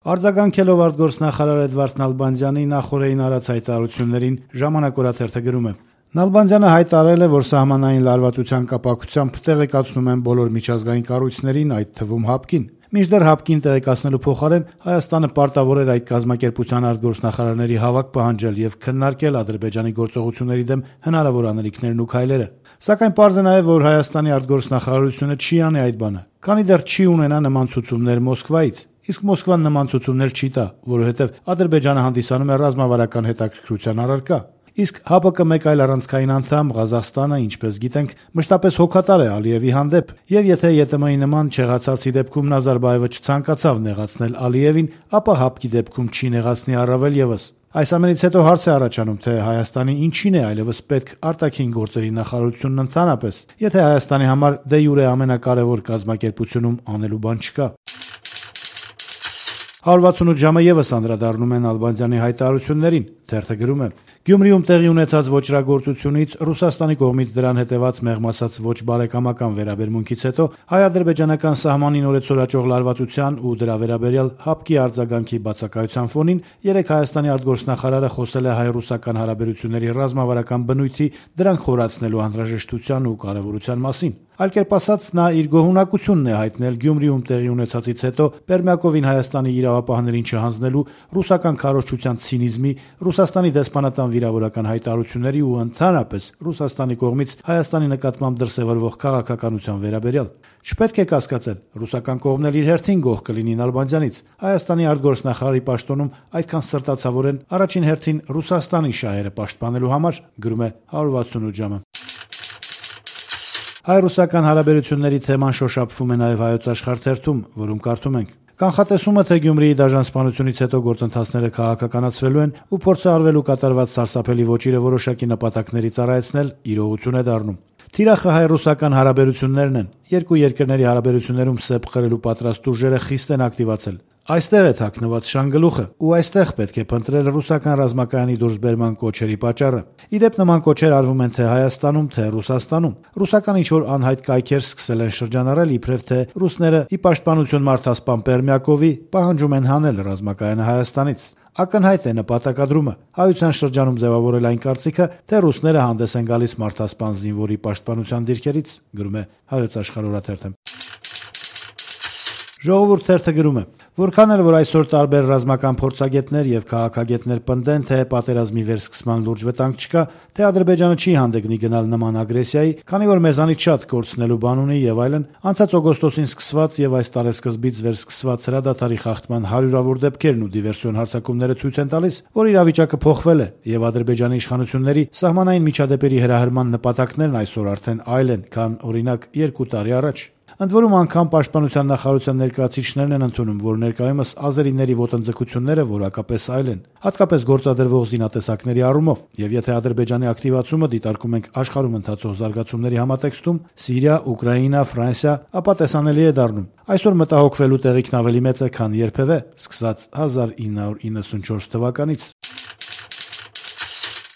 Արձագանքելով արտգործնախարար Էդվարդ Նալբանդյանի նախօրեին արած հայտարարություններին «Ժամանակ» օրաթերթը գրում է. Նալբանդյանը հայտարարել է, որ սահմանային լարվածության կապակցությամբ տեղեկացնում են բոլոր միջազգային կառույցներին, այդ թվում ՀԱՊԿ-ին։ Մինչդեռ ՀԱՊԿ-ին տեղեկացնելու փոխարեն Հայաստանը պարտավոր էր այդ կազմակերպության արտգործնախարարների հավաք պահանջել եւ քննարկել Ադրբեջանի գործողությունների դեմ հնարավոր անելիքներն ու քայլերը։ Սակայն պարզ է նաեւ, որ Հայաստանի արտգործնախարարությունը չի անի այդ բանը, քանի դեռ չի ունենա նման ցուցումներ Մոսկվայից։ Իսկ Մոսկվան նման ցուցումներ չի տա, որովհետեւ Ադրբեջանը հանդիսանում է ռազմավարական հետաքրքրության առարկա։ Իսկ ՀԱՊԿ մեկ այլ առանցքային անդամ Ղազախստանը, ինչպես գիտենք, մշտապես հոգատար է Ալիևի հանդեպ, եւ եթե ԵՏՄ-ի նման չեղացածի դեպքում Նազարբաևը չցանկացավ նեղացնել Ալիևին, ապա ՀԱՊԿ-ի դեպքում չի նեղացնի առավել եւս։ Այս ամենից հետո հարց է առաջանում, թե Հայաստանի ինչին է այլևս պետք արտաքին գործերի նախարարությունն ընդհանրապես, եթե Հայաստանի համար դե յուրե ամենակարևոր կազմակերպությունում անելու բան չկա։ 168 ժամը եւս անդրադառնում է Նալբանդյանի հայտարարություններին, թերթը գրում է. Գյումրիում տեղի ունեցած ոճրագործությունից, Ռուսաստանի կողմից դրան հետեւած մեղմ ասած ոչ բարեկամական վերաբերմունքից հետո հայ-ադրբեջանական սահմանին օրեցօրաճող լարվածության ու դրա վերաբերյալ ՀԱՊԿ-ի արձագանքի բացակայության ֆոնին երեկ Հայաստանի արտգործնախարարը խոսել է հայ-ռուսական հարաբերությունների ռազմավարական բնույթի, դրանք խորացնելու անհրաժեշտության ու կարեւորության մասին։ Այլ կերպ ասած, նա իր գոհունակությունն է հայտնել Գյումրիում տեղի ունեցածից հետո Պերմյակովին Հայաստանի իրավապահներին չհանձնելու, ռուսական քարոզչության ցինիզմի, Ռուսաստանի դեսպանատան վիրավորական հայտարարությունների ու ընդհանրապես Ռուսաստանի կողմից Հայաստանի նկատմամբ դրսևորվող քաղաքականության վերաբերյալ։ Չպետք է կասկածել, ռուսական կողմն էլ իր հերթին գոհ կլինի Նալբանդյանից։ Հայաստանի արտգործնախարարի պաշտոնում այդքան սրտացավոր են առաջին հերթին Ռուսաստանի շահերը պաշտպանելու համար, գրում է 168 ժամը։ Հայ-ռուսական հարաբերությունների թեման շոշափվում է նաև Հայոց Աշխարհ թերթում, որում կարդում ենք. Կանխատեսումը, թե Գյումրիի դաժան սպանությունից հետո գործընթացները քաղաքականացվելու են ու փորձ է արվելու կատարված սարսափելի ոճիրը որոշակի նպատակների ծառայեցնել, իրողություն է դառնում։ Թիրախը հայ-ռուսական հարաբերություններն են։ Երկու երկրների հարաբերություններում սեպ խրելու պատրաստ ուժերը խիստ են ակտիվացել։ Այստեղ է թաքնված շանգլուխը, ու այստեղ պետք է փնտրել ռուսական ռազմակայանի դուրսբերման կոչերի պատճառը։ Իդեպ նման կոչեր արվում են թե Հայաստանում, թե Ռուսաստանում։ Ռուսական ինչ-որ անհայտ կայքեր սկսել են շրջանառել, իբրև թե ռուսները ի պաշտպանություն մարդասպան Պերմյակովի պահանջում են հանել ռազմակայանը Հայաստանից։ Ակնհայտ է նպատակադրումը։ Հայության շրջանում ձևավորել այն կարծիքը, թե ռուսները հանդես են գալիս մարդասպան զինվորի պաշտպանության դիրքերից, գրում է Հայոց Աշխարհ օրաթերթը։ Ժողովուրդ թերթը գրում է. Որքան էլ որ այսօր տարբեր ռազմական փորձագետներ եւ քաղաքագետներ պնդեն, թե պատերազմի վերսկսման լուրջ վտանգ չկա, թե Ադրբեջանը չի հանդգնի գնալ նման ագրեսիայի, քանի որ մեզանից շատ կորցնելու բան ունի եւ այլն, անցած օգոստոսին սկսված եւ այս տարեսկզբից վերսկսված հրադադարի խախտման հարյուրավոր դեպքերն ու դիվերսիոն հարձակումները ցույց են տալիս, որ իրավիճակը փոխվել է եւ Ադրբեջանի իշխանությունների սահմանային միջադեպերի հրահրման նպատակներն այսօր արդեն այլ են, քան օրինակ 2 տարի առաջ։ Ընդ որում անգամ պաշտպանության նախարարության ներկայացուցիչներն են ընդունում, որ ներկայումս ազերիների ոտնձգությունները որակապես այլ են, հատկապես գործադրվող զինատեսակների առումով, եւ եթե Ադրբեջանի ակտիվացումը դիտարկում ենք աշխարհում ընթացող զարգացումների համատեքստում՝ Սիրիա, Ուկրաինա, Ֆրանսիա, ապա տեսանելի է դառնում։ Այսօր մտահոգվելու տեղիքն ավելի մեծ է, քան երբևէ, սկսած 1994 թվականից։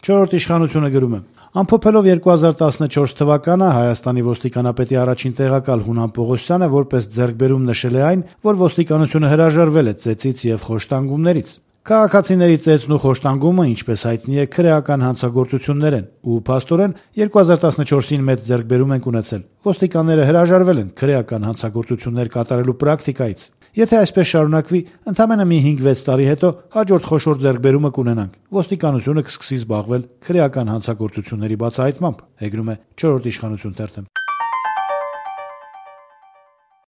Չորրորդ իշխանությունը գրում է. Ամփոփելով 2014 թվականը Հայաստանի ոստիկանապետի առաջին տեղակալ Հունան Պողոսյանը որպես ձեռքբերում նշել է այն, որ ոստիկանությունը հրաժարվել է ծեծից եւ խոշտանգումներից։ Քաղաքացիների ծեծն ու խոշտանգումը, ինչպես հայտնի է, քրեական հանցագործություններ են, ու փաստորեն 2014-ին մեծ ձեռքբերում են ունեցել։ Ոստիկանները հրաժարվել են քրեական հանցագործություններ կատարելու պրակտիկայից։ Եթե այսպես շարունակվի, ընդամենը մի 5-6 տարի հետո հաջորդ խոշոր ձեռքբերումը կունենանք։ Ոստիկանությունը կսկսի զբաղվել քրեական հանցագործությունների բացահայտմամբ, հեգնում է 4-րդ իշխանություն թերթը։